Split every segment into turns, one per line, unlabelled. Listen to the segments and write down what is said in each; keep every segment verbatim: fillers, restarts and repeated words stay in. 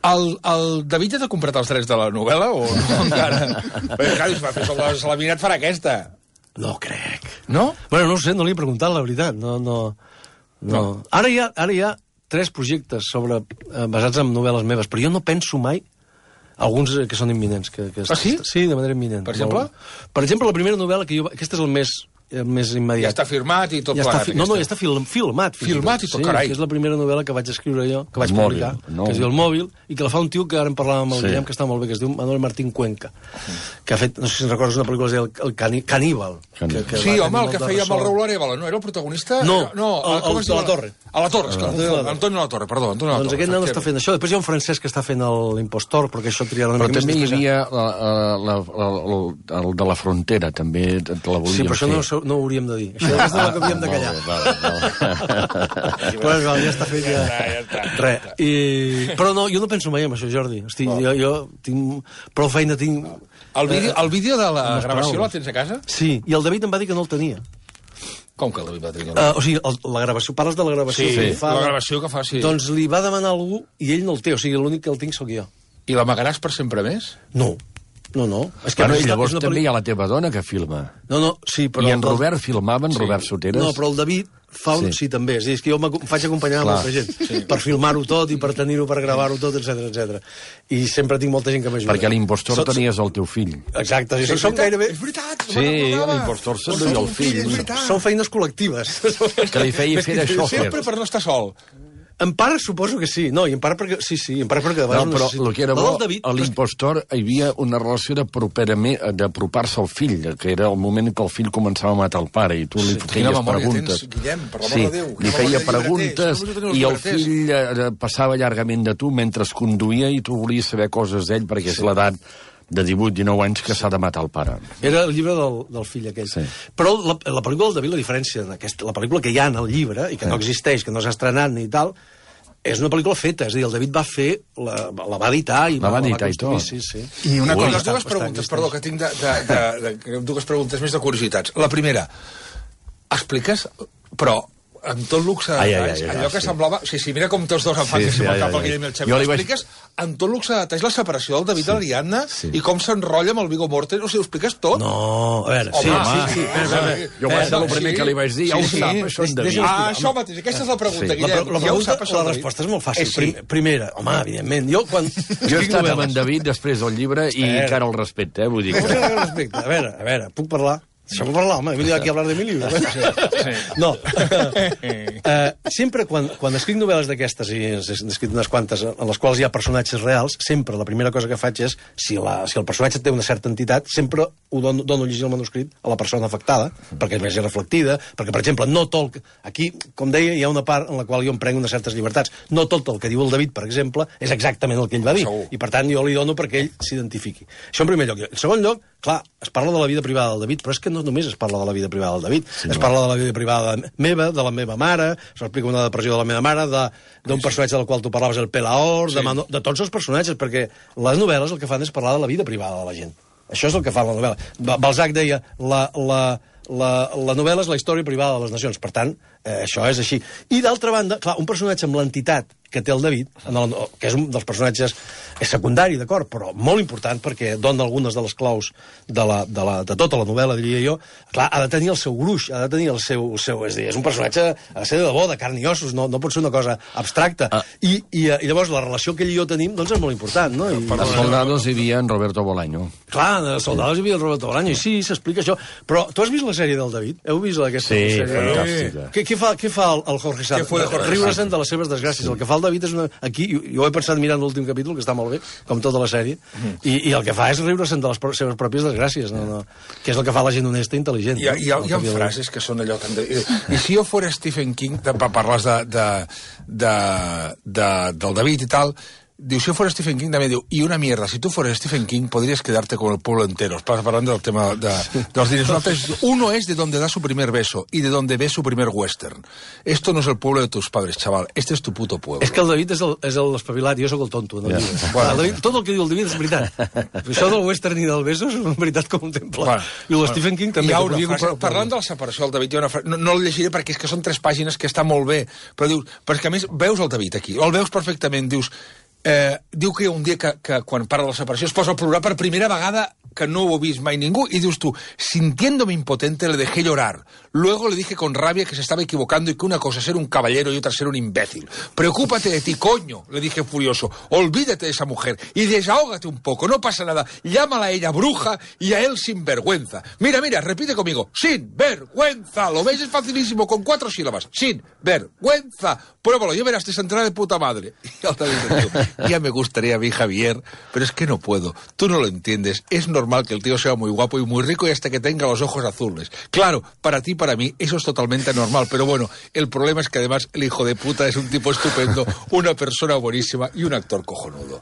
El, el David ja t'ha comprat els drets de la novel·la o no encara? Perquè, clar, si va fer el de Salaminat farà aquesta.
No crec.
No?
Bueno, no ho sé, no li he preguntat, la veritat. No, no, no. no. Ara, hi ha, ara hi ha tres projectes sobre, eh, basats en novel·les meves, però jo no penso mai alguns que són imminents. Que, que
ah, sí?
Sí, de manera imminent.
Per exemple?
Per exemple, la primera novel·la que jo... Aquesta és el més... més immediat.
Ja està firmat i tot
ja
plegat.
Fi... No, no, ja està film, filmat.
Filmat i tot,
sí,
carai.
Que és la primera novel·la que vaig escriure jo, que vaig
Mòbil,
publicar,
no.
que es diu El Mòbil, i que la fa un tio que ara en parlàvem amb el
Sí.
Guillem, que està molt bé, que es diu Manuel Martín Cuenca, que ha fet, no sé si recordes una pel·lícula que es diu El, el Cani... Caníbal.
Caníbal.
Que, que sí, home, el que feia amb el Raúl Arevalo, no? Era el protagonista?
No,
no
el, el, el de la Torre.
A la Torre, esclar. Antonio la Torre, perdó. Antonio la Torre.
Doncs aquest nen està fent això. Després hi ha un francès que està fent l'impostor, perquè això triarà una
Però
mica
també hi
més.
havia la, la, la, el, el de la frontera, també te la volíem
Sí, però això
fer.
no, no ho hauríem de dir. Això és el que havíem de callar.
Vale, vale.
Però ja està fet ja. Res. I... Però no, jo no penso mai en això, Jordi. Hosti, jo, jo tinc prou feina, tinc...
El vídeo, el vídeo de la
les
gravació
paraules.
la tens a casa?
Sí, i el David em va dir que no el tenia.
Com que el David va tenir?
Uh, o sigui, el, la gravació, parles de la gravació
Sí,
que fa...
la gravació que fa, sí.
Doncs li va demanar algú i ell no el té, o sigui, l'únic que el tinc sóc jo.
I l'amagaràs per sempre més?
No, no, no. És
Bueno,
és
i llavors
és una
també
pel·li-
hi ha la teva dona que filma.
No, no, sí, però...
I en Robert filmava, en
Sí.
Robert Soteres.
No, però el David fa un...
Sí.
Sí, també. És, a dir, és que jo em faig acompanyar
Clar.
molta gent sí. per filmar-ho tot i per tenir-ho, per gravar-ho tot, etcètera, etcètera. I sempre tinc molta gent que m'ajuda.
Perquè l'impostor
Sots-
tenies el teu fill.
Exacte, sí,
Sí,
són gairebé...
És veritat, no
Sí,
me'n recordava.
l'impostor se'n
Doncs
duia
som
el
un fill,
fill.
és veritat.
Són feines col·lectives.
Que li feia fer de xòfer.
Sempre per no estar sol.
En part suposo que sí. No, i en part perquè... Sí, sí, en part perquè... de
No,
vegades
però
necessito-
el que era
La
bo,
del David,
a l'impostor hi havia una relació d'aproperament- d'apropar-se al fill, que era el moment en què el fill començava a matar el pare, i tu li
Quina
feies
memòria
preguntes.
tens, Guillem, per l'amor
Sí,
de Déu. Quina
li feia
memòria de
preguntes
llibreters. No
i el
us llibreters.
fill eh, passava llargament de tu mentre es conduïa i tu volies saber coses d'ell perquè és l'edat de divuit dinou anys que s'ha de matar el pare.
Era el llibre del, del fill aquell.
Sí.
Però la, la pel·lícula del David, la diferència d'aquesta, la pel·lícula que hi ha en el llibre i que no existeix, que no s'ha estrenat ni tal, és una pel·lícula feta, és a dir, el David va fer, la, la va editar i
La va editar i
construir,
tot.
Sí, sí.
I una
Ui.
cosa,
Bastant,
dues preguntes,
bastant.
perdó, que tinc de, de, de, de, dues preguntes més de curiositats. La primera, expliques, però amb tot luxe de
Ai, ai,
detalls,
ai, ai,
allò que
sí.
semblava... Sí, sí, mira com tots dos em fan
Sí,
que
sí,
si
ai,
me'l cap
ai,
el Guillem i el
ai.
Xavi.
Jo li vaig-
Expliques amb tot luxe de detalls la separació del David sí. de l'Ariadna sí. i com s'enrotlla amb el Viggo Mortensen. O sigui, ho expliques tot?
No, a veure, sí,
Home,
sí, sí.
home,
Espera, espera.
Jo vaig ser el
sí.
primer que li vaig dir, ja ho
Sí, sí.
sap, això en David.
Deixa'm
Ah,
explicar.
això mateix, aquesta és la pregunta,
Sí.
La,
Guillem.
pre- la,
ja ho
pregunta,
sap, això,
la
David?
resposta és molt fàcil.
Eh, sí.
Prim- Primera, home, evidentment. Jo, quan...
Jo estava amb en David després del llibre i
Espera.
encara el respecte, eh? Vull dir
Com
que...
que respecte? A veure, a veure, puc parlar? Deixa'm parlar, home, he venido aquí a hablar de mi libro. No, uh, sempre quan, quan escric novel·les d'aquestes, i he escrit unes quantes en les quals hi ha personatges reals, sempre la primera cosa que faig és, si, la, si el personatge té una certa entitat, sempre ho dono, dono a llegir el manuscrit a la persona afectada, perquè és més reflectida, perquè, per exemple, no tot... Aquí, com deia, hi ha una part en la qual jo em prenc unes certes llibertats. No tot el que diu el David, per exemple, és exactament el que ell va dir.
Segur.
I, per tant, jo li dono perquè ell s'identifiqui. Això en primer lloc. En segon lloc, clar, es parla de la vida privada del David, però és que no només es parla de la vida privada del David, sí, es parla de la vida privada meva, de la meva mare, s'explica una depressió de la meva mare, d'un sí. personatge del qual tu parlaves, el Pelaor, sí. de, Mano, de tots els personatges, perquè les novel·les el que fan és parlar de la vida privada de la gent. Això és el que fa la novel·la. Balzac deia, la, la, la, la novel·la és la història privada de les nacions, per tant, eh, això és així. I d'altra banda, clar, un personatge amb l'entitat que té el David, en el, que és un dels personatges és secundari, d'acord, però molt important perquè dona algunes de les claus de, la, de, la, de tota la novel·la, diria jo. Clar, ha de tenir el seu gruix, ha de tenir el seu... El seu és, dir, és un personatge, ha de ser de debò, de carn i ossos, no, no pot ser una cosa abstracta. Ah. I, i, I llavors la relació que ell i jo tenim doncs és molt important, no? I,
A Soldados hi havia en Roberto Bolaño.
clar, a Soldados hi havia el Roberto Bolaño, i sí, s'explica això. Però tu has vist la sèrie del David? Heu vist aquesta
Sí,
sèrie?
fantàstica.
Què, què, fa, què fa el, el Jorge Sanz?
Què fa el Jorge
Riure-se'n de les seves desgràcies. Sí. El que fa el David és una... Aquí, jo, jo he pensat mirant l'últim capítol, que està molt bé, com tota la sèrie, mm. i, i el que fa és riure-se'n de les pro seves pròpies desgràcies, no, no, que és el que fa la gent honesta i intel·ligent.
Hi ha, hi ha,
no?
hi ha frases que són allò tan... De... I si jo fos Stephen King, de, parles de, de, de, de, del David i tal, diu, si yo fuera Stephen King, también diu, y una mierda, si tú fueras Stephen King, podrías quedarte con el pueblo entero. Estás hablando del tema de, de los diners. Uno es de donde da su primer beso y de donde ve su primer western. Esto no es el pueblo de tus padres, chaval. Este es tu puto pueblo.
És que el David és el, és el espavilat, jo sóc el tonto. No?
Ja.
Yeah. Bueno, el David, tot el que diu el David és veritat. Això del western i del beso és una veritat com un temple. Bueno, I el Stephen King també.
Hi ha una
que
frase, parlant de la separació del David, hi ha una frase, no, no el llegiré perquè és que són tres pàgines que està molt bé, però dius, però és que a més veus el David aquí, el veus perfectament, dius, Eh, diu que hi ha un dia que, que quan parla de la separació es posa a plorar per primera vegada que no ho he vist mai ningú, y dius tú, sintiéndome impotente le dejé llorar. Luego le dije con rabia que se estaba equivocando y que una cosa es ser un caballero y otra ser un imbécil. Preocúpate de ti, coño, le dije furioso. Olvídate de esa mujer y desahógate un poco, no pasa nada. Llámala a ella bruja y a él sinvergüenza. Mira, mira, repite conmigo, sin vergüenza. Lo ves, es facilísimo, con cuatro sílabas. Sin vergüenza. Pruébalo, ya verás, te saldrá de puta madre. Y otra vez le digo, ya me gustaría a mí, Javier, pero es que no puedo. Tú no lo entiendes. Es normal que el tío sea muy guapo y muy rico y hasta que tenga los ojos azules. Claro, para ti, para mí, eso es totalmente normal, pero bueno, el problema es que además el hijo de puta es un tipo estupendo, una persona buenísima y un actor cojonudo.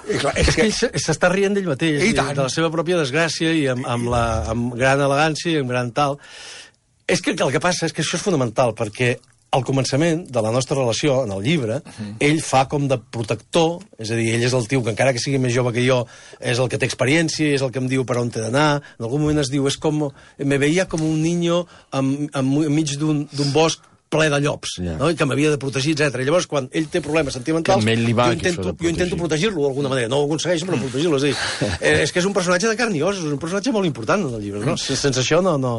És, clar, és que ell s'està rient d'ell mateix, i de la seva pròpia desgràcia i amb, amb, la, amb gran elegància i amb gran tal. És que el que passa és que això és fonamental, perquè al començament de la nostra relació, en el llibre, uh-huh. ell fa com de protector, és a dir, ell és el tio que encara que sigui més jove que jo, és el que té experiència, és el que em diu per on t'he d'anar, en algun moment es diu, és com, me veia com un niño en, en, enmig d'un bosc ple de llops, yeah. no? I que m'havia de protegir, etcètera. I llavors, quan ell té problemes sentimentals,
va,
jo intento, jo intento protegir-lo d'alguna manera. No ho aconsegueixo, però protegir-lo. És a dir, eh, és que és un personatge de carn i ossos, és un personatge molt important en el llibre, no? Sense això no... no...